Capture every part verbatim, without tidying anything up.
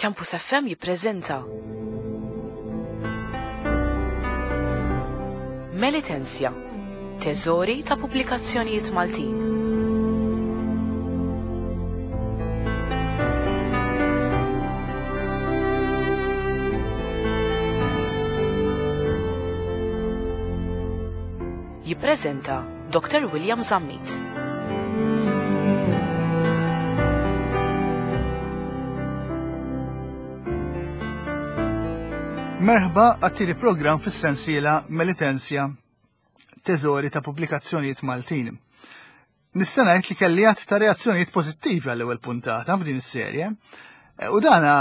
Campus F M jippreżenta Melitensia, Teżori ta' Pubblikazzjonijiet Maltin. Jippreżenta Doctor William Zammit. Merħba għat-tieni programm fis-sensiela Melitensia, Teżori ta' Pubblikazzjonijiet Maltin. Nista' ngħid li kelli għadd ta' reazzjonijiet pożittivi għall-ewwel puntata f'din is-serje. E, u dana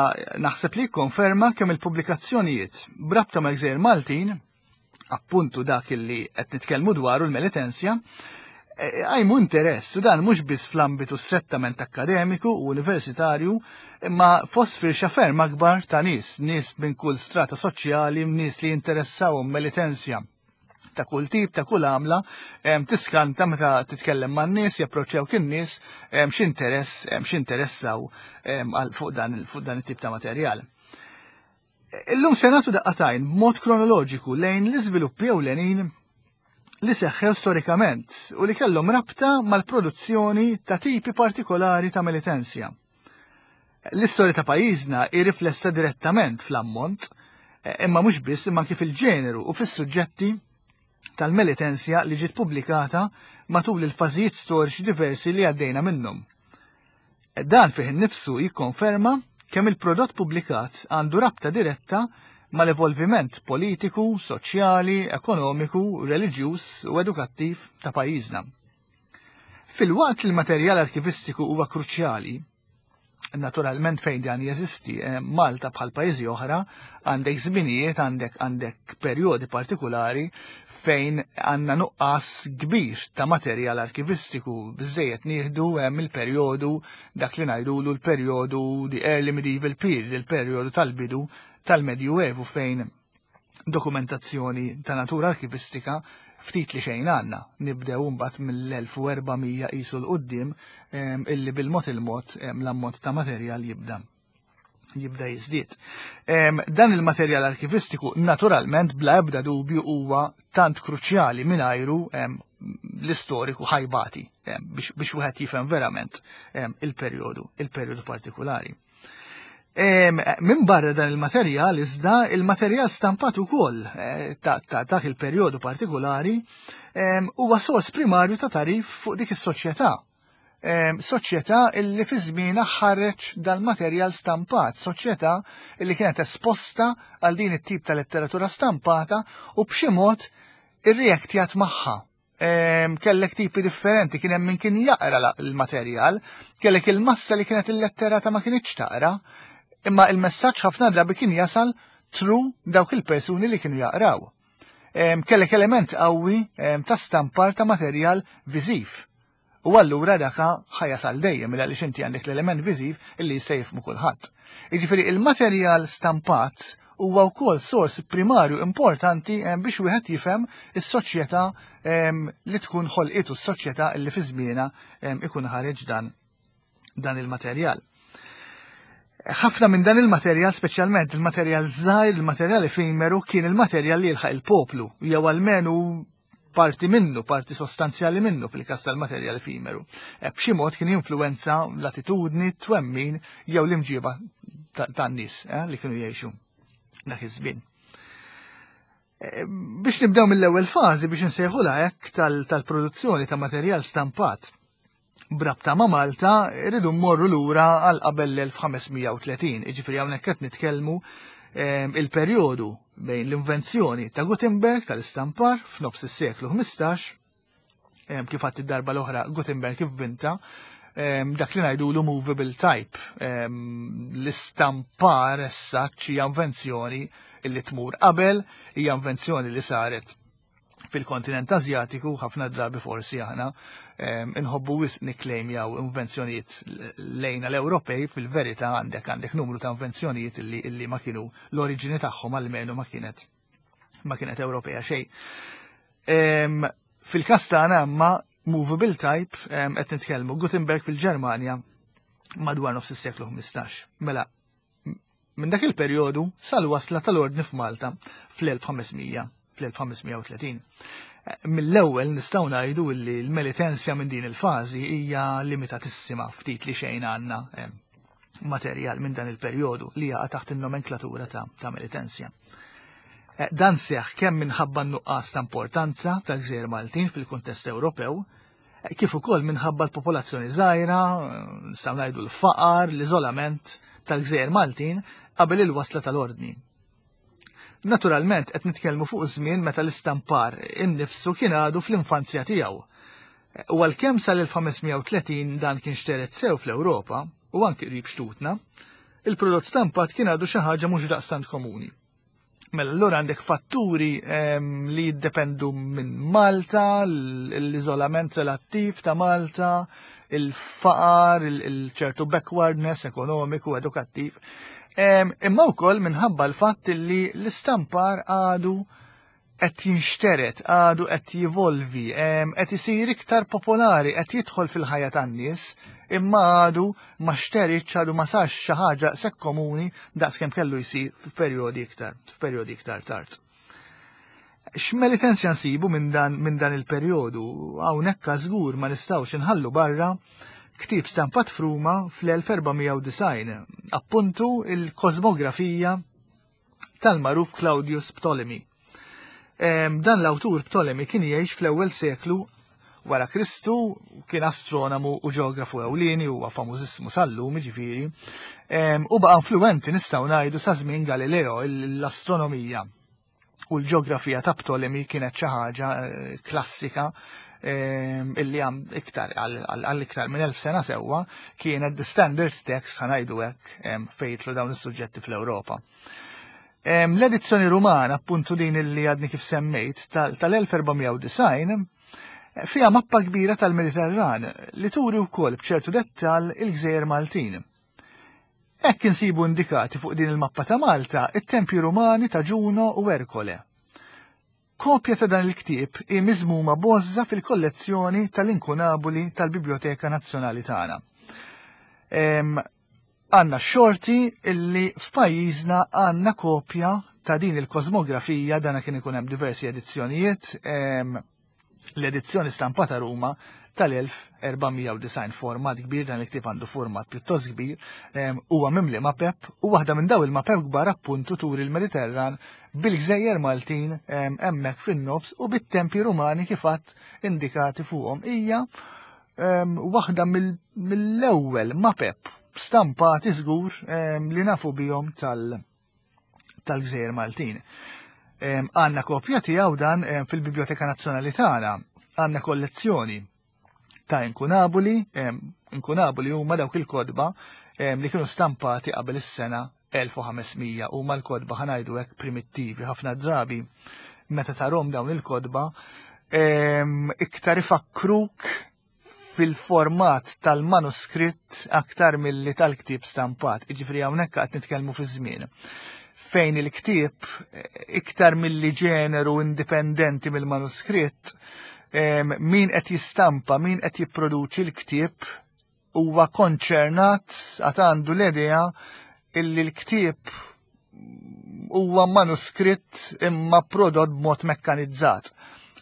naħseb li jikkonferma kemm il-pubblikazzjonijiet b'rabta mal-Gżejjer Maltin, appuntu dak li qed nitkellmu dwaru, l-Melitensja, għajmu interess, u dan mhux biss fl-ambitu strettament akkademiku u universitarju, imma fost firxa ferm akbar ta' nies, nies minn kull strata soċjali, nies li jinteressawhom Melitensja ta' kull tip, ta' kull għamla, tiskanta meta titkellem man nies, japproċċjaw kien nies, x'interess, x'interessaw fuq dan fuq dan it-tip ta' materjal. Illum se nagħtu daqqa t'għajn b'mod kronoloġiku lejn l-iżviluppi ewlenin li seħħew storikament u li kellhom rabta mal-produzzjoni ta' tipi partikolari ta' Melitensja. L-istorja ta' pajjiżna hi riflessa direttament fl-ammont, imma mhux biss, imma kif il-ġeneru u fis-suġġetti tal-Melitensja li ġiet pubblikata matul il-fażijiet storiċi diversi li għaddejna minnhom. Dan fih innifsu jikkonferma kemm il-prodott pubblikat għandu rabta diretta mal-evolviment politiku, soċjali, ekonomiku, reliġjuż u edukattiv ta' pajjiżna. Filwaqt li l-materjal arkivistiku huwa kruċjali, naturalment fejn dan jeżisti, eh, Malta bħal pajjiżi oħra għandek żminijiet, għandek għandek perjodi partikolari fejn għandna nuqqas kbir ta' materjal arkivistiku. Biżejjed nieħdu hemm il-perjodu dak li ngħidulu l-perjodu the early medieval period, il-perjodu tal-bidu tal-Medjuevu, fejn dokumentazzjoni ta' natura arkivistika ftit li xejn għandna. Nibdew mbagħad mill-elf u erba' mija qisu 'l quddiem, illi bil-mod il-mod l-ammont ta' materjal jibda jibda jiżdied. Dan il-materjal arkivistiku naturalment bla ebda dubju huwa tant kruċjali, mingħajru l-istoriku ħa jbati biex wieħed jifhem verament il-perjodu, il-perjodu partikolari. Minn barra dan il-materjal, iżda, il-materjal stampat ukoll eh, ta' dak il-perjodu partikolari huwa sors primarju ta' tagħrif fuq dik is-soċjetà. Soċjetà illi fi żmienha ħareġ dal-materjal stampat, soċjetà illi kienet esposta għal din it-tip ta' letteratura stampata u b'xi mod irreaktjat magħha. Kellek tipi differenti, kien hemm min kien jaqra l-materjal, kellek il-massa li kienet illetterata ma kienx taqra, imma il-messaġġ ħafna drabi kien jasal through dawk il-persuni li kienu jaqraw. Kellek element qawwi ta' stampar ta' materjal viżiv. U allura daka ħa jasal dejjem għaliex inti għandek l-element viżiv illi jista' jifhmu kulħadd. Jiġifieri il-materjal stampat huwa wkoll sors primarju importanti biex wieħed jifhem is-soċjetà li tkun ħolqitu, s-soċjetà li fi żmienha ikun ħareġ dan dan il-materjal. Ħafna minn dan il-materjal, speċjalment il-materjal żgħir, il-materjal efimeru, kien il-materjal li jilħaq il-poplu, jew almenu parti minnu, parti sostanzjali minnu fil-kas tal-materjal efimeru. E, b'xi mod kien jinfluwenza l-attitudni, twemmin jew l-imġiba tan-nies eh, li kienu jgħixu dak iż-żmien. E, biex nibdew mill-ewwel fażi, biex insejħulha hekk, tal-produzzjoni ta' materjal stampat b'rabta ma' Malta, irridu mmorru lura għal qabel l-elf u ħames mija u tletin. Jiġifieri hawnhekk qed nitkellmu il-perjodu bejn l-invenzjoni ta' Gutenberg tal-istampar f'nofs is-seklu ħmistax, kif għedt id-darba l-oħra, Gutenberg ivvinta dak li ngħidulu movable type. L-istampar issa hija invenzjoni illi tmur qabel, hija invenzjoni li saret fil-kontinent Azjatiku. Ħafna drabi forsi aħna inħobbu wisq nikklejmjaw invenzjonijiet lejna l-Ewropej, fil-verità għandek għandek numru ta' invenzjonijiet illi, illi ma kienu l-oriġini tagħhom almenu ma kienet ma kienet Ewropea xejn. Fil-każ tagħna imma movable type, qed nitkellmu Gutenberg fil-Ġermanja madwar nofs is-seklu ħmistax. Mela, Minn dak il-perjodu sal-wasla tal-ordni f'Malta fl-elf ħames mija fl-elf ħames mija u tletin. Mill-ewwel nistgħu ngħidu li l-Melitensja minn din il-fażi hija limitatissima, ftit li xejn għandna materjal minn dan il-perjodu li jaqa' taħt in-nomenklatura ta', ta Melitensja. Eh, dan seħ kemm minħabba nuqqas ta' importanza tal-gżejjer Maltin fil-kuntest Ewropew, eh, kif ukoll minħabba l-popolazzjoni żgħira, nistgħu ngħidu l-faqar, l-iżolament tal-gżejjer Maltin qabel il-wasla tal-ordni. Naturalment qed nitkellmu fuq żmien meta l-istampar innifsu kien għadu fl-infanzja tiegħu. U għalkemm sal-elf ħames mija u tletin dan kien xteret sew fl-Ewropa u anki qrib xtutna, il-prodott stampat kien għadu xi ħaġa mhux daqstant komuni. Mela allura għandek fatturi ehm, li jiddependu minn Malta, l-iżolament relattiv ta' Malta, il-faqar, il-ċertu backwardness ekonomiku, edukattiv. Ehm, imma wkoll minħabba l-fatt li l-istampar għadu qed jinxteret, għadu qed jivolvi, ehm, qed isir iktar popolari, qed jidħol fil-ħajja tan-nies, imma għadu ma xteritx, għadu ma sarx xi ħaġa sekk komuni daqs kemm kellu jsir f'perjodi iktar, f'perjodi iktar tard. X'Melitensja nsibu minn dan, min dan il-perjodu? Hawnhekk żgur ma nistgħux inħallu barra ktieb stampat f'Ruma fl-elf erba' mija u disgħin, appuntu il-kosmografija tal-magħruf Claudius Ptolemy. Dan l-awtur Ptolemy kien jgħix fl-ewwel seklu wara Kristu, kien astronomu u ġeografu ewlieni, huwa famużissimu sal-lum ġifieri, u baqa' influenti, nistgħu ngħidu, sa żmien Galileo. L-astronomija u l-ġeografija ta' Ptolemy kienet xi ħaġa eh, klassika illi għam iktar għal iktar minn elf sena sewwa kienet the standard text, ħa ngħidu hekk, fejn jidħlu dawn is-suġġetti fl-Ewropa. L-edizzjoni Rumana, appuntu din illi għadni kif semmejt, tal-elf erba' mija u disgħin, fija mappa kbira tal-Mediterran li turi wkoll b'ċertu dettal il-Gżejjer Maltin. Hekk insibu indikati fuq din il-mappa ta' Malta it-tempji Rumani ta' Ġuno u Erkole. Kopja ta' dan il-ktieb hi miżmuma b'għożża fil-kollezzjoni tal-inkunabuli tal-Biblioteka Nazzjonali tagħna. Għandna xorti illi f'pajjiżna għandna kopja ta' din il-kosmografija. Dana kien ikun hemm diversi edizzjonijiet, l-edizzjoni stampata Ruma tal-elf erba' mija u disgħin, format kbir, dan il-ktieb għandu format pjuttost kbir, huwa mimli mapep u waħda minn daw il-mapep kbar appuntu turi il-Mediterran bil-Gżejjer Maltin hemmhekk fin-nofs u bit-tempji Rumani kif għedt indikati fuqhom. Hija waħda mill-ewwel mapep stampati żgur li nafu bihom tal- tal-Gżejjer Maltin. Għandna kopja tiegħu dan fil-Biblioteka Nazzjonali tagħna, għandna kollezzjoni ta' inkunabuli. Inkunabuli huma dawk il-kotba li kienu stampati qabel is-sena elf u ħames mija, huma l-kotba, ħa ngħidu hekk, primittivi. Ħafna drabi meta tarahom dawn il-kotba iktar ifakkruk fil-format tal-manuskritt aktar milli tal-ktieb stampat. Iġifri hawnhekk qed nitkellmu fi żmien fejn il-ktieb iktar milli ġeneru indipendenti mill-manuskritt, min qed jistampa, min qed jipproduċi l-ktieb huwa konċernat, għad għandu l-idea illi l-ktieb huwa manuskritt imma prodott b'mod mekkanizzat.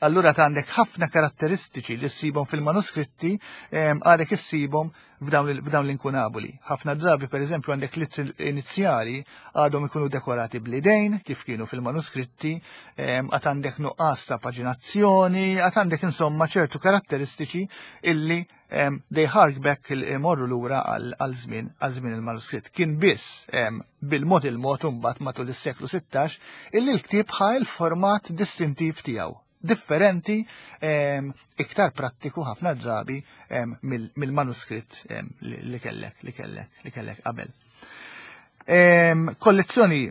Allura għandek ħafna karatteristiċi li ssibhom fil-manuskritti għadek issibhom f'dawn l-inkunabuli. Ħafna drabi, per eżempju, għandek l inizjali għadhom ikunu dekorati bl-idejn, kif kienu fil-manuskritti, għad għandek nuqqas ta' paġinazzjoni, għad għandek insomma ċertu karatteristiċi illi they hark back, imorru lura għal żmien għal żmien il-manuskritt. Kien biss bil-mod il-mod imbagħad matul is-seklu sittax illi l-ktieb ħa il-format distintiv tiegħu, differenti, iktar prattiku ħafna drabi mill-manuskritt li kellek li kellek li kellek qabel. Kollezzjoni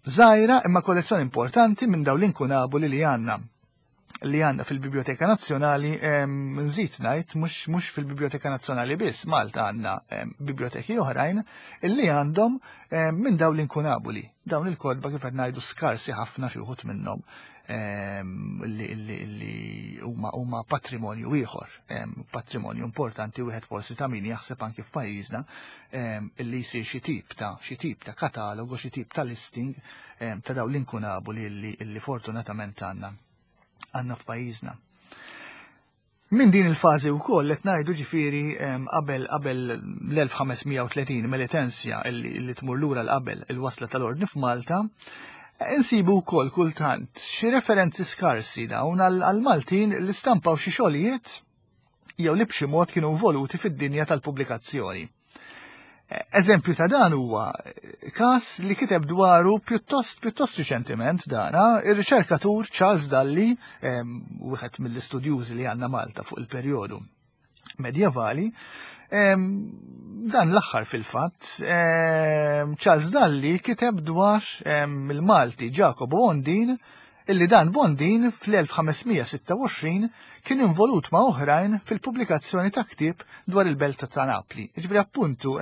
żgħira imma kollezzjoni importanti minn dawn l-inkunabuli li għandna li għandna fil-Biblioteka Nazzjonali. Nżid ngħid, mhux mhux fil-Biblioteka Nazzjonali biss, Malta għandna biblioteki oħrajn illi għandhom minn dawn l-inkunabuli. Dawn il-kotba, kif qed ngħidu, skarsi ħafna xi wħud minnhom. li huma huma patrimonju ieħor, patrimonju importanti wieħed forsi ta' min jaħseb anki f'pajjiżna illi jsir xi tip ta' xi tip ta' katalogu, xi tip ta' listing ta' dawn l-inkunabuli illi fortunatament għandna għandna f'pajjiżna. Min din il-fażi wkoll qed ngħidu ġifieri qabel qabel l-elf ħames mija u tletin Melitensja illi tmur lura l-qabel il-wasla tal-ordni f'Malta, insibu wkoll kultant xi referenzi skarsi dawn għal-Maltin li stampaw xi xogħlijiet jew li b'xi mod kienu involuti fid-dinja tal-pubblikazzjoni. Eżempju ta' dan huwa każ li kiteb dwaru pjuttost, pjuttost riċentiment dana ir-riċerkatur Charles Dalli, wieħed mill-istudjużi li għandna Malta fuq il-perjodu medjevali, dan l-aħħar fil-fatt, Charles Dalli kiteb dwar il-Malti Jacobo Bondin, illi dan Bondin fl-elf ħames mija sitta u għoxrin kien involut ma' oħrajn fil-pubblikazzjoni ta' ktieb dwar il-belt ta' Napli. Ġifieri appuntu,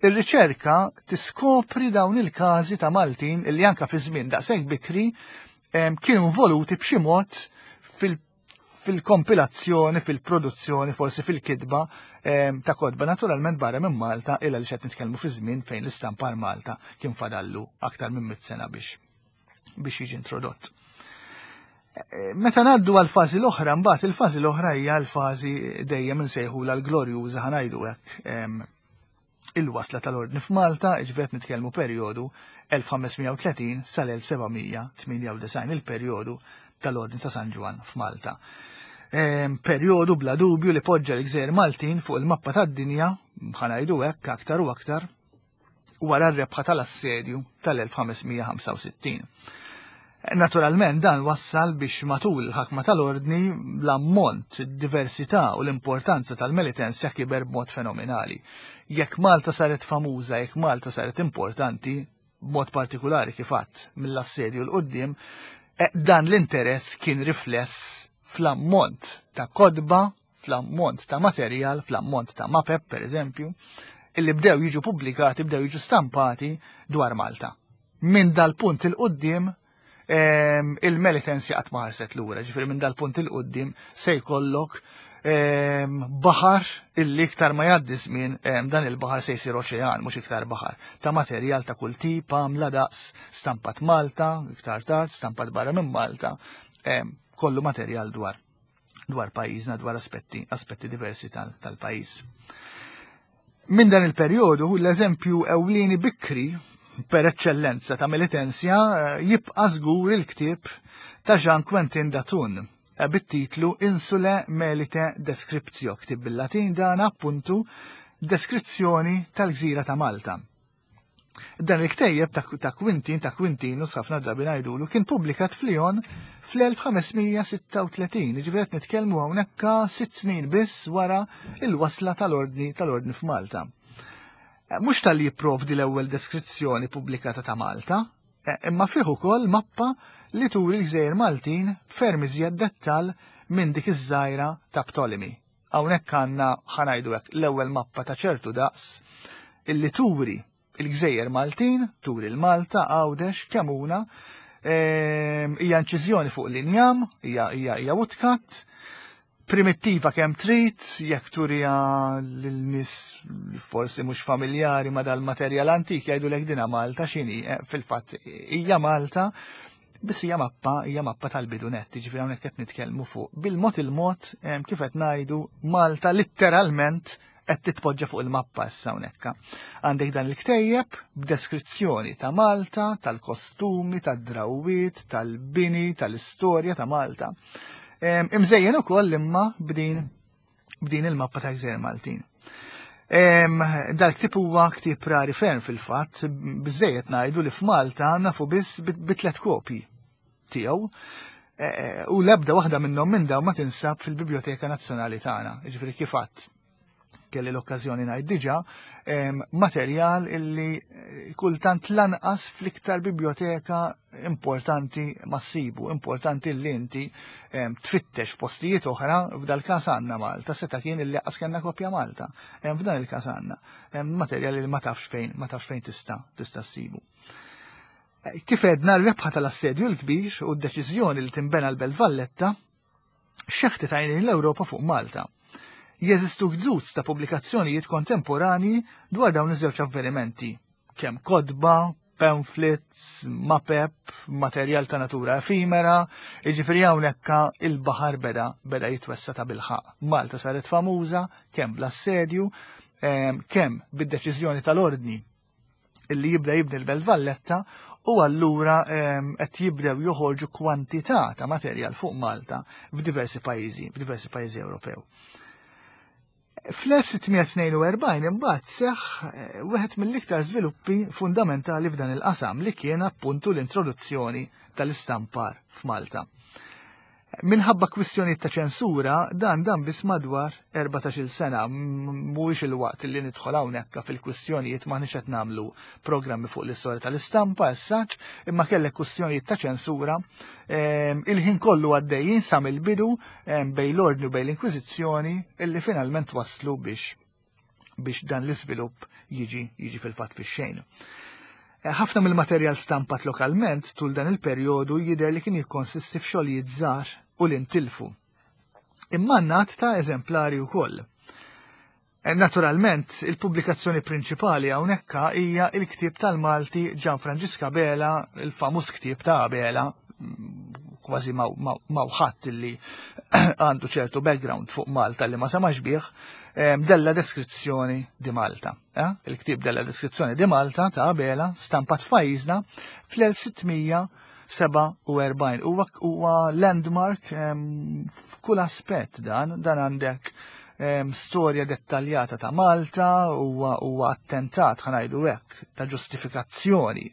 ir-riċerka tiskopri dawn il-każi ta' Maltin illi anka fi żmien daqshekk bikri kienu involuti b'xi mod fil-kompilazzjoni, fil-produzzjoni, forsi fil-kitba ta' kotba naturalment barra minn Malta, illa li xed nitkellmu fi żmien fejn l-istampar Malta kien fadallu aktar minn mitt sena biex biex jiġi introdott. Meta ngħaddu għall-fażi l-oħra, mbagħad il-fażi l-oħra hija l-fażi dejjem insejħulha l-glorjuża, ħanajdu hekk, il-wasla tal-ordni f'Malta, jiġifieri qed nitkellmu perjodu elf ħames mija u tletin sal-elf seba' mija tmienja u disgħin, il-perjodu tal-Ordni ta' San Ġwann f'Malta. Perjodu bla dubju li poġġa l-Gżejjer Maltin fuq il-mappa tad-dinja, ħanajdu hekk aktar u aktar, wara r-rebħa tal-assedju tal-elf ħames mija ħamsa u sittin. Naturalment dan wassal biex matul il-ħakma tal-ordni l-ammont, id-diversità u l-importanza tal-Melitensja kiber b'mod fenomenali. Jekk Malta saret famuża, jekk Malta saret importanti, b'mod partikolari kif għadt mill-assedju l-qoddim, eh, dan l-interess kien rifless fl-ammont ta' kodba, fl-ammont ta' materjal, fl-ammont ta' mapep, per eżempju, illi bdew jiġu pubblikati, bdew jiġu stampati dwar Malta. Minn dal-punt il-qoddim, ehm, il-Melitensja qatt ma ħarset lura, ġifieri minn dal-punt il-qoddim se jkollok, ehm, baħar illi iktar ma jgħaddi żmien, ehm, dan il-baħar se jsir oċean, mhux iktar baħar, ta' materjal ta' kull tip, għamla daqs, stampat Malta, iktar tard, stampat barra minn Malta, ehm, kollu materjal dwar, dwar pajjiżna, dwar aspetti, aspetti diversi tal-, tal-pajjiż. Minn dan il-perjodu, l-eżempju ewlieni bikri per eccellenza ta' Melitensja, eh, jibqa' żgur il-ktieb ta' Jean Quentin d'Athun, eh, bit-titlu Insule Melite Descriptio, ktieb bil-Latin dan appuntu deskrizzjoni tal-gżira ta' Malta. Dan il-ktejjeb ta', ta' Quentin, ta' Quintinus, ħafna drabi ngħidulu, kien pubblikat f'Lyon fl-elf ħames mija sitta u tletin, jiġifieri qed nitkellmu hawnhekk sitt snin biss wara il-wasla tal-ordni, tal-ordni f'Malta. Eh, mhux tal-li jipprovdi l-ewwel deskrizzjoni pubblikata ta' Malta, eh, imma fih ukoll mappa li turi l-Gżejjer Maltin ferm iżjed dettal minn dik iż-żgħira ta' Ptolemy. Hawnhekk għandna ħanajdu hekk l-ewwel mappa ta' ċertu daqs illi turi il-Gżejjer Maltin, turi l-Malta, Għawdex, Kemuna, ehm, hija inċiżjoni fuq l-injam, hija, hija, hija woodcut, primittiva kemm trid, jekk turija lil nies forsi mhux familjari ma' dal-materjal antik jgħidulek dina Malta x'inhi, eh, fil-fatt hija Malta, biss hija mappa, hija mappa tal-bidunet, jiġifieri hawnhekk qed nitkellmu fuq bil-mod il-mod, ehm, kif qed ngħidu Malta litteralment qed titpoġġa fuq il-mappa issa hawnhekk. Għandek dan il-ktejjeb b'deskrizzjoni ta' Malta, tal-kostumi, tad-drawwiet, tal-bini, tal-istorja ta' Malta. Em, imżejjen ukoll imma b'din, b'din il-mappa ta' Gżejjer Maltin. Em, dal-ktieb huwa ktieb rari ferm fil-fatt, biżejjed ngħidu li f'Malta nafu biss bi, bi tliet kopji tiegħu. E, e, u l-ebda waħda minnhom minn dawn ma tinsab fil-Biblioteka Nazzjonali tagħna. Jiġifieri kif għadt kelli l-okkażjoni ngħid diġà, em, materjal illi, eh, kultant lanqas fl-iktar biblioteka importanti massibu, importanti li inti, em, tfittex f'postijiet oħra, f'dal każ għandna Malta, seta' kien illi qas kellna kopja Malta. Em, f'dan il-każ għandna, em, materjal li ma tafx fejn, ma tafx fejn tista', tista' ssibu. Kif għedna, r-rebħa tal-Assedju l-Kbir u d-deċiżjoni li tinbena l-Belt Valletta xeħtet għajnejn l-Ewropa fuq Malta. Jeżistu gżuz ta' pubblikazzjonijiet kontemporani dwar dawn iż-żewġ avvenimenti, kemm kotba, pamphlets, mapep, materjal ta' natura efimera, jiġifieri hawnhekk il-baħar beda beda jitwessa ta' bilħaq. Malta saret famuża kemm bl-assedju, kemm bid-deċiżjoni tal-ordni illi jibda jibni l-Belt Valletta, u allura qed jibdew joħorġu kwantità ta' materjal fuq Malta f'diversi pajjiżi, f'diversi pajjiżi Ewropew. Fl-elf sittmija tnejn u erbgħin imbagħad seħħ wieħed mill-iktar żviluppi fundamentali f'dan il-qasam li kien appuntu l-introduzzjoni tal-istampar f'Malta. Minħabba kwistjonijiet ta' ċensura, dan dan biss madwar erbatax-il sena, mhuwiex il-waqt li nidħol hawnhekk fil-kwistjonijiet, m'aħniex qed nagħmlu programmi fuq l-istorja tal-istampa as such, imma kellek kwistjonijiet ta' ċensura, ehm, il-ħin kollu għaddejjin sa mill-bidu, ehm, bejn l-ordni u bejn l-Inkwiżizzjoni, illi finalment waslu biex, biex dan l-iżvilupp jiġi, jiġi fil-fatt fix-xejn. Ħafna mill-materjal stampat lokalment tul dan il-perjodu jidher li kien jikkonsisti f'xogħlijiet żgħar u li ntilfu. Imma għandna ta' eżemplari wkoll. Naturalment, il-pubblikazzjoni prinċipali hawnhekk hija il-ktieb tal-Malti Gian Franġisk Abela, il-famuż ktieb ta' Abela, kważi ma' ħadd illi għandu ċertu background fuq Malta li ma semax bih, della deskrizzjoni di Malta. Eh? Il-ktieb della deskrizzjoni di Malta ta' Abela stampat f'pajjiżna fl-elf sittmija seba' u erbgħin. Huwa, huwa landmark, em, f'kull aspett dan, dan għandek, em, storja dettaljata ta' Malta, huwa, huwa attentat, ħa ngħidu hekk, ta' ġustifikazzjoni,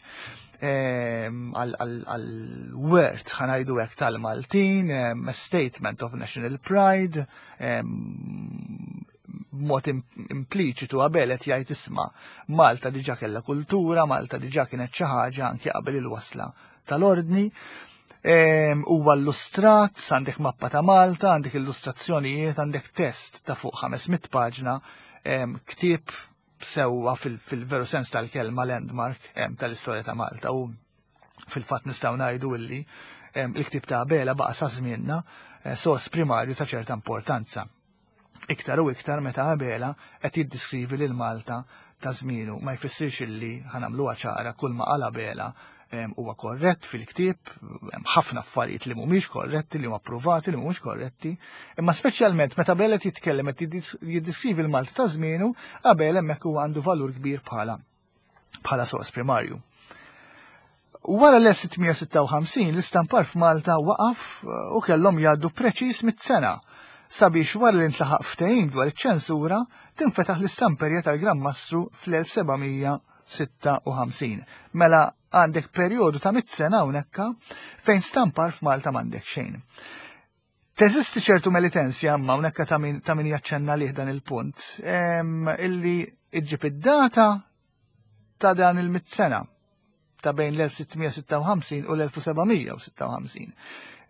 em, għal-wert, ħa ngħidu hekk, tal-Maltin, em, a statement of national pride, em, b'mod impliċitu Abela qed jgħid isma' Malta diġà kellha kultura, Malta diġà kienet xi ħaġa anke qabel il-wasla tal-ordni. Em, huwa illustrat, għandek mappa ta' Malta, għandek illustrazzjonijiet, għandek test ta' fuq ħames mitt paġna, em, ktieb sewwa fil-, fil-veru sens tal-kelma landmark, em, tal-istorja ta' Malta. U fil-fatt nistgħu ngħidu illi, em, il-ktieb ta' Abela baqa' sa żmienna, eh, sors primarju ta' ċerta importanza. Iktar u iktar meta Abela qed jiddiskrivi lil Malta ta' żmienu, ma jfissirx illi ħanamluha ċara kull ma qal Abela, em, huwa korrett fil-ktieb, hemm ħafna affarijiet li mhumiex korretti, li huma approvati, li mhumiex korretti, imma speċjalment meta Abela qed jitkellem qed jiddis-, jiddiskrivi l-Malta ta' żmienu, Abela hemmhekk huwa għandu valur kbir bħala, bħala sors primarju. Wara l-elf sittmija sitta u ħamsin l-istampar f'Malta waqaf u kellhom jgħaddu preċiż mit-sena sabiex wara li ntlaħaq ftehim dwar iċ-ċensura tinfetaħ l-istamperja tal-Gran Mastru fl-elf sebgħamija sitta u ħamsin. Mela għandek perjodu ta' mit sena hawnhekk fejn stampar f'Malta m'għandek xejn. Teżisti ċertu melitensja imma hawnhekk ta' min, ta' min jaċċenna lih dan il-punt, em, illi iġġib id-data ta' dan il-mit sena ta' bejn l-elf sittmija sitta u ħamsin u l-elf sebgħamija sitta u ħamsin.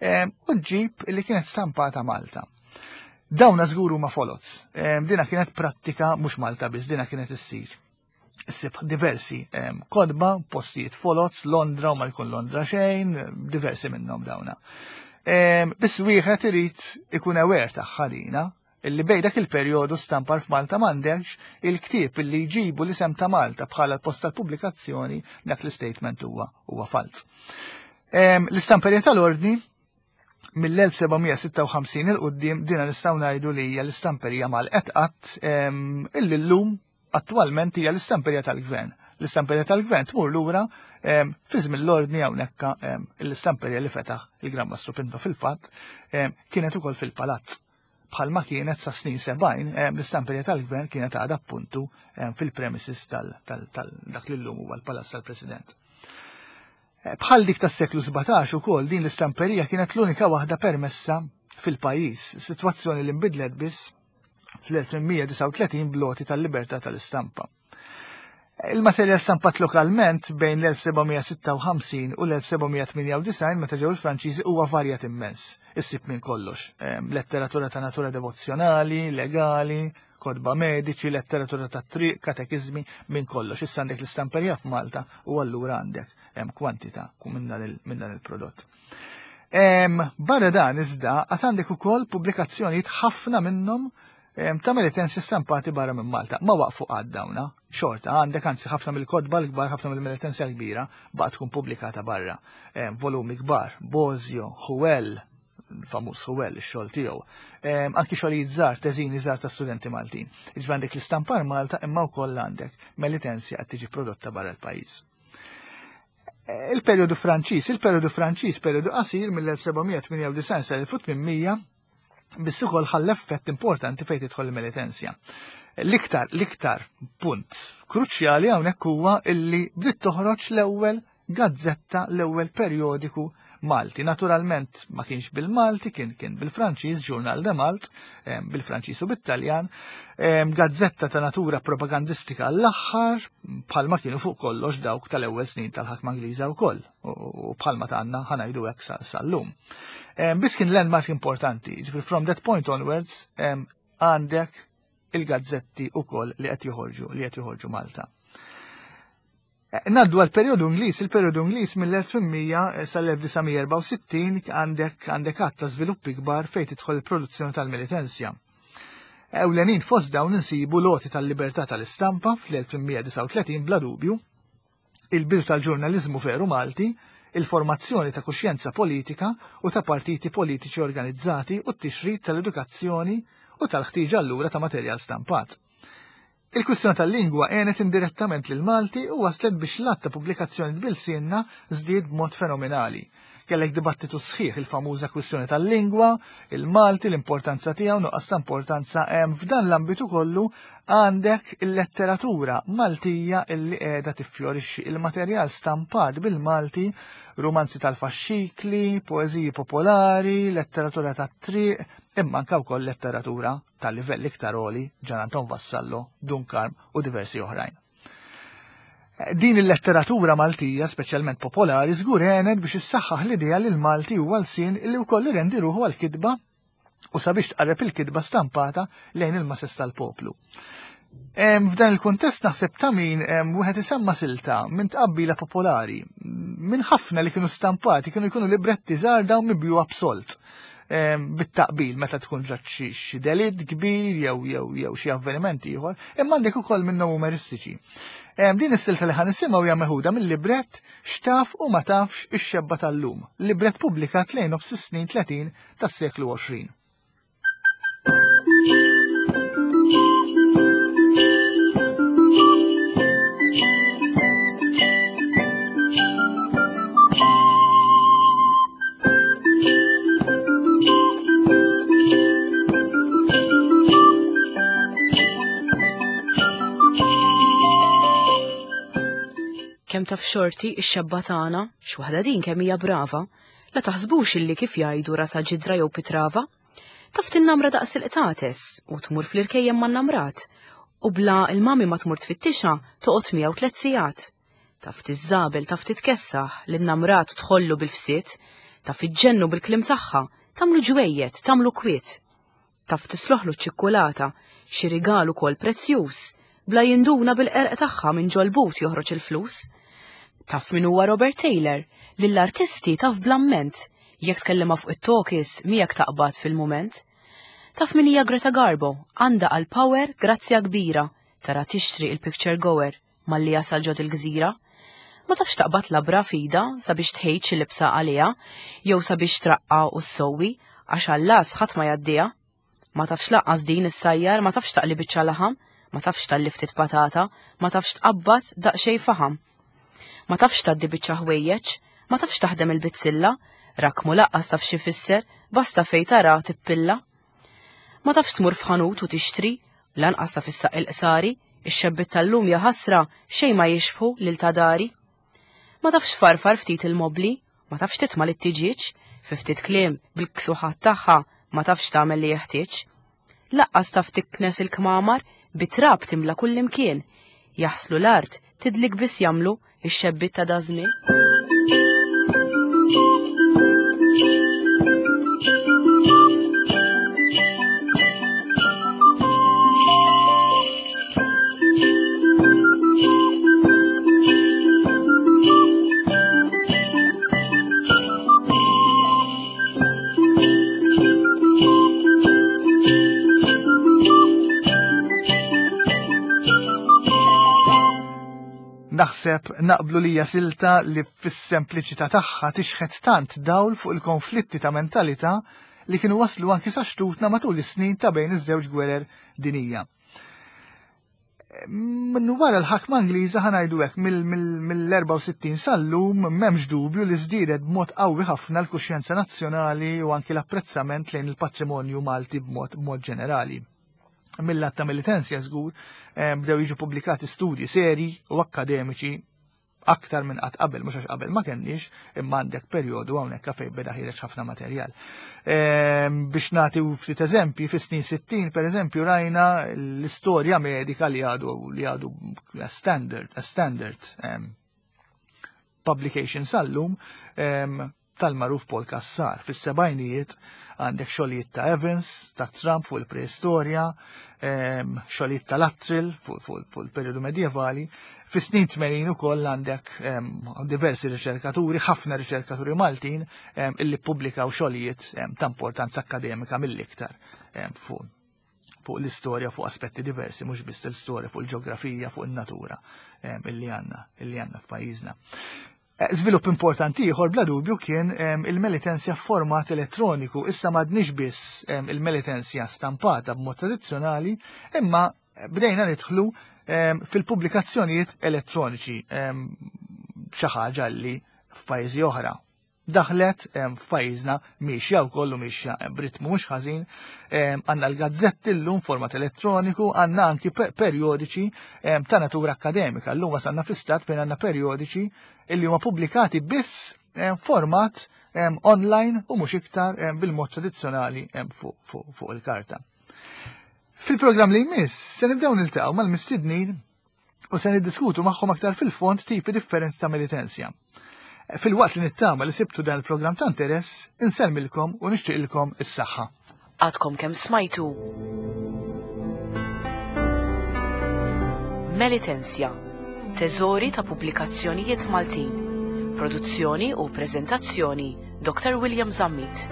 Em, u ġġib illi kienet stampata Malta. Dawna żgur huma folots. Em, dina kienet prattika mhux Malta biss, dina kienet issir. Issib diversi, em, kodba, postijiet folots, Londra u ma jkun Londra xejn, diversi minnhom dawna. Em, biss wieħed irid ikun aware tagħha dina, illi bejn dak il-perjodu stampar f'Malta m'għandekx il-ktieb illi jġibu l-isem ta' Malta bħala l-post tal-pubblikazzjoni, dak l-istatement huwa, huwa falz. Em, l-istamperja tal-ordni mill-elf sebgħamija sitta u ħamsin il-qudiem dina nistgħu ngħidu li hija l-istamperija mal-qed, em, illi llum attwalment hija l-istamperija tal-gvern. L-istamperija tal-gvern tmur lura, em, fi żmien l-ordni hawnhekk, em, l-istamperija li fetaħ il-Gran Mastru Pinto fil-fatt, em, kienet ukoll fil-palazz. Bħalma kienet sa snin sebgħin, em, l-istamperija tal-gvern kienet għadha appuntu, em, fil-premises tal-, tal-, tal dak li llum huwa l-Palazz tal-President. Eh, bħal dik tas-seklu sbatax ukoll din l-istamperija kienet l-unika waħda permessa fil-pajjiż, sitwazzjoni li nbidlet biss fl-elf tmien mija disgħa u tletin b'loti tal-libertà tal-istampa. Il-materjal stampat lokalment bejn l-elf sebgħamija sitta u ħamsin u l-elf sebgħamija tmienja u disgħin meta ġew il-Franċiżi huwa varjat immens. Issib minn kollox. Ehm, letteratura ta' natura devozzjonali, legali, kotba mediċi, letteratura ta' triq, katekiżmi, minn kollox. Issa għandek l-istamperija f'Malta u allura għandek Kwantità minn dan il-prodott. Barra dan iżda għad għandek ukoll pubblikazzjonijiet, ħafna minnhom ta' Melitensia stampati barra minn Malta. Ma waqfu għad dawna, xorta, għandek anzi ħafna mill-kotba l-kbar, ħafna mill-Melitensia l-kbira baqgħet tkun pubblikata barra. Volumi kbar, Bosio, Huel, famuż Huel, ix-xogħol tiegħu. Anki xogħlijiet żgħar, teżini żgħar ta' studenti Maltin. Jiġifieri għandek l-istampar Malta, imma wkoll għandek Melitensia qed tiġi prodotta barra l-pajjiż. Il-perjodu Franċiż, il-perjodu Franċiż perjodu qasir mill-elf seba' mija tmienja u disgħin sal-elf u tmien mija, biss ukoll ħalla effett importanti fejn tidħol il-Melitensja. L-iktar, l-iktar punt kruċjali hawnhekk huwa illi bdiet toħroġ l-ewwel gazzetta, l-ewwel perjodiku Malti. Naturalment ma kienx bil-Malti, kien kien bil-Franċiż, Journal de Malte, bil-Franċiż u bit-Taljan, gazzetta ta' natura propagandistika l-aħħar, bħalma kienu fuq kollox dawk tal-ewwel snin tal-ħakma Ingliża wkoll, u bħalma tagħna, ħa ngħidu hekk, sal-lum. Biss kien landmark importanti, ġifieri from that point onwards għandek il-gazzetti ukoll li qed joħorġu li qed joħorġu Malta. Ngħaddu għal periodu Ingliż, il-periodu Ingliż mill-elf u tmien mija sal-elf disa' mija erbgħa u sittin għandek għandek għadd ta' żviluppi kbar fejn tidħol il-produzzjoni tal-Melitensja. Ewlenin fost dawn insibu l-għoti tal-libertà tal-istampa fl-elf tmien mija disgħa u tletin bla dubju, il-bidu tal-ġurnaliżmu veru Malti, il-formazzjoni ta' kuxjenza politika u ta' partiti politiċi organizzati u t-tixrid tal-edukazzjoni u tal-ħtiġa allura ta' materjal stampat. Il-kwistjoni tal-lingwa għenet indirettament lil Malti u waslet biex l-għadd ta' pubblikazzjoni b'ilsienna żdied b'mod fenomenali. Kellek dibattitu sħiħ, il-famuża kwistjoni tal-lingwa, il-Malti, l-importanza tiegħu, nuqqas ta' importanza hemm f'dan l-ambitu kollu. Għandek il-letteratura Maltija illi qiegħda tiffjorixxi, il-materjal stampat bil-Malti, rumanzi tal-faxxikli, poeżiji popolari, letteratura tat-triq, imma anke wkoll letteratura tal-livell iktar għoli, Ġan Anton Vassallo, Dun Karm u diversi oħrajn. Din il-letteratura Maltija, speċjalment popolari, żgur għenet biex issaħħaħ l-idea li l-Malti huwa lsien illi wkoll irendi ruħu għal-kitba u sabiex tqarreb il-kitba stampata lejn il-masses tal-poplu. F'dan il-kuntest naħseb ta' min wieħed isemma silta minn tqabbila popolari, minn ħafna li kienu stampati, kienu jkunu libretti żgħar dawn mibjugħa b'sold bit-taqbil meta tkun ġat xi delitt kbir jew jew jew xi avveniment ieħor, imma għandek ukoll minnhom umoristiċi. Din is-silta li ħa nisimgħu hija meħuda mill-librett X'Taf u Ma Tafx ix-Xebba tal-Lum, librett pubblikat lejn nofs is-snin tletin tas-seklu għoxrin. Kemm taf xorti ix-xebba tagħna, x'waħda din kemm hija brava, la taħsbux illi kif jgħidu rasa ġidra jew pitrava. Taf tinnamra daqs il-qtates u tmur fl-irkejjem man-namrat, u bla il-mami ma tmur tfittixa toqgħod miegħu tliet sigħat. Taf tiżżabel, taf titkessaħ, lin-namrat tħollu bil-fsiet, taf iġġennu bil-kliem tagħha, tagħmlu ġwejjed, tagħmlu kwiet. Taf tisloħlu ċ-ċikkulata, xi rigal ukoll prezzjuż, bla jinduna bil-qerq tagħha minn ġol-but joħroġ il-flus. Taf min huwa Robert Taylor, lill-artisti taf bl-amment, jekk tkellima fuq it-talkies miegħek taqbad fil-mument. Taf min hija Greta Garbo, għandha għal power grazzja kbira, tara tixtri il-picture goer malli jasal ġod il-gżira. Ma tafx taqbad labra fida sabiex tħejt xi libsa għaliha, jew sabiex traqqa u ssowwi, għax għallas ħadd ma jgħaddiha. Ma tafx laqqas din issajjar, ma tafx taqli biċċa laħam, ma tafx talli ftit patata, ma tafx tqabbad daqsxejn faħam. Ma tafx tgħaddi biċċa ħwejjeġ, ma tafx taħdem il-bizzilla, rakmu laqqas taf xi fisser, basta fej tara tippilla. Ma tafx tmur f'ħanut u tixtri, lanqas taf issaq il-qsari, ix-xebbiet tal-lum ja ħasra xejn ma jixbħu lil ta' dari. Ma tafx farfar ftit il-mobli, ma tafx titma' lit-tiġieġ, fi ftit kliem bil-ksuħat tagħha ma tafx tagħmel li jeħtieġ. Laqqas taf tiknes il-kmamar, bit-trab timla kullimkien, jaħslu l-art, tidlik biss jagħmlu ix-xebbiet ta' dażmien. Naħseb naqblu li hija silta li fis-sempliċità tagħha tixħet tant dawl fuq il-konflitti ta' mentalità li kienu waslu anki sa xtutna matul is-snin ta' bejn iż-żewġ gwerer dinija. Minn wara l-ħakma Ingliża, ħa ngħidu hekk, mill-erbgħa u sittin sal-lum, m'hemmx dubju li żdiedet b'mod qawwi ħafna l-kuxjenza nazzjonali u anki l-apprezzament lejn il-patrimonju Malti b'mod ġenerali. Mill-lat ta' Melitensia żgur bdew jiġu pubblikati studji seri u akkademiċi aktar minn qatt qabel, mhux għax qabel ma kenniex, imma għandek perjodu hawnhekk fejn beda ħiereġ ħafna materjal. Biex nagħti ftit eżempji, fis-snin sittin, per eżempju, rajna l-istorja medika li għadu li għadu standard, standard publication sal-lum tal-magħruf Paul Cassar. Fis-sebgħinijiet għandek xogħlijiet ta' Evans, ta' Trump fuq il-preistorja, xogħlijiet ta' Luttrell fuq il-periodu medjevali. Fis-snin tmenin ukoll għandek diversi riċerkaturi, ħafna riċerkaturi Maltin illi ppubblikaw xogħlijiet ta' importanza akkademika mill-iktar fuq fuq l-istorja, fuq aspetti diversi, mhux biss l-istorja, fuq il-ġeografija, fuq il-natura illi għandna illi għandna f'pajjiżna. Żvilupp importanti ieħor bla dubju kien il-Melitensia format elettroniku. Issa m'għadniex biss il-Melitensia stampata b'mod tradizzjonali, imma bdejna nidħlu fil-pubblikazzjonijiet elettroniċi, xi ħaġa li f'pajjiżi oħra daħlet, f'pajjiżna miexja wkoll u miexja b'ritmu mhux ħażin. Għandna l-gazzetti llum format elettroniku, għandna anki perjodiċi ta' natura akkademika. Llum wasalna fi stat fejn għandna perjodiċi illi huma pubblikati biss format online u mhux iktar bil-mod tradizzjonali fuq il-karta. Fil-programm li jmiss se nibdew niltaqgħu mal-mistednin u se niddiskutu magħhom aktar fil-fond tipi differenti ta' Melitensia. Filwaqt li nittama li sibtu dan il-programm ta' interess, insellmilkom u nixtieqilkom is-saħħa. Għadkom kemm smajtu Melitensia, teżori ta' pubblikazzjonijiet Maltin. Produzzjoni u preżentazzjoni Doktor William Zammit.